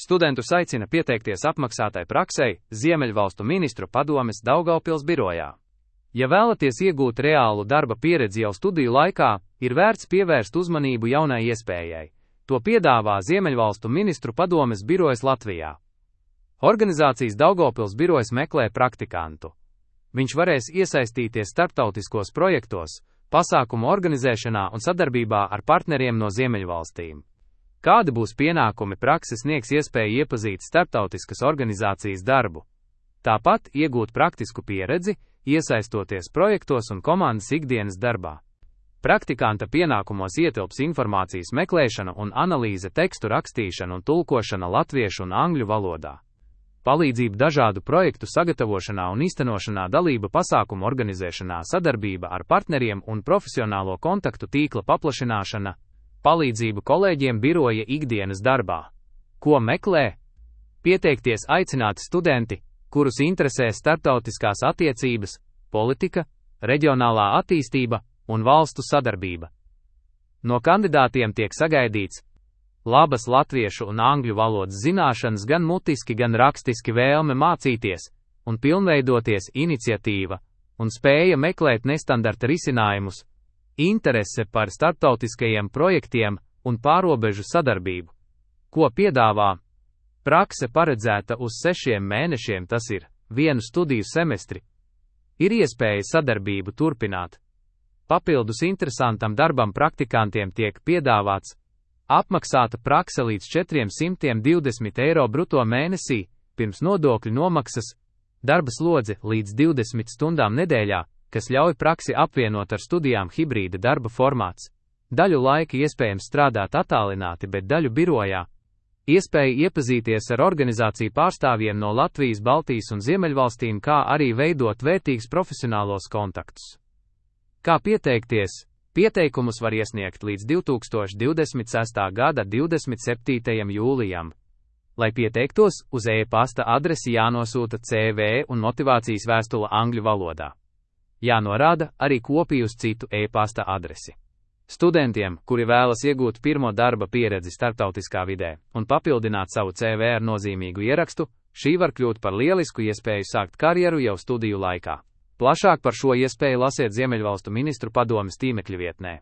Studentus aicina pieteikties apmaksātai praksei Ziemeļvalstu ministru padomes Daugavpils birojā. Ja vēlaties iegūt reālu darba pieredzi jau studiju laikā, ir vērts pievērst uzmanību jaunai iespējai. To piedāvā Ziemeļvalstu ministru padomes birojas Latvijā. Organizācijas Daugavpils birojas meklē praktikantu. Viņš varēs iesaistīties starptautiskos projektos, pasākumu organizēšanā un sadarbībā ar partneriem no Ziemeļvalstīm. Kādi būs pienākumi, prakse sniegs iespēju iepazīt starptautiskas organizācijas darbu. Tāpat iegūt praktisku pieredzi, iesaistoties projektos un komandas ikdienas darbā. Praktikanta pienākumos ietilps informācijas meklēšana un analīze, tekstu rakstīšana un tulkošana latviešu un angļu valodā. Palīdzība dažādu projektu sagatavošanā un īstenošanā, dalība pasākumu organizēšanā, sadarbība ar partneriem un profesionālo kontaktu tīkla paplašināšana, palīdzību kolēģiem biroja ikdienas darbā. Ko meklē? Pieteikties aicināti studenti, kurus interesē starptautiskās attiecības, politika, reģionālā attīstība un valstu sadarbība. No kandidātiem tiek sagaidīts labas latviešu un angļu valodas zināšanas, gan mutiski, gan rakstiski, vēlme mācīties un pilnveidoties, iniciatīva un spēja meklēt nestandarta risinājumus, interese par starptautiskajiem projektiem un pārobežu sadarbību. Ko piedāvā? Prakse paredzēta uz 6 mēnešiem, tas ir 1 studiju semestri. Ir iespēja sadarbību turpināt. Papildus interesantam darbam praktikantiem tiek piedāvāts apmaksāta prakse līdz 420 eiro bruto mēnesī, pirms nodokļu nomaksas, darba slodze līdz 20 stundām nedēļā, kas ļauj praksi apvienot ar studijām, hibrīda darba formāts. Daļu laika iespējams strādāt attālināti, bet daļu birojā. Iespēja iepazīties ar organizāciju pārstāvjiem no Latvijas, Baltijas un Ziemeļvalstīm, kā arī veidot vērtīgus profesionālos kontaktus. Kā pieteikties? Pieteikumus var iesniegt līdz 2026. gada 27. jūlijam. Lai pieteiktos, uz e-pasta adresi jānosūta CV un motivācijas vēstule angļu valodā. Jānorāda arī kopija uz citu e-pasta adresi. Studentiem, kuri vēlas iegūt pirmo darba pieredzi starptautiskā vidē un papildināt savu CV ar nozīmīgu ierakstu, šī var kļūt par lielisku iespēju sākt karjeru jau studiju laikā. Plašāk par šo iespēju lasiet Ziemeļvalstu ministru padomes tīmekļa vietnē.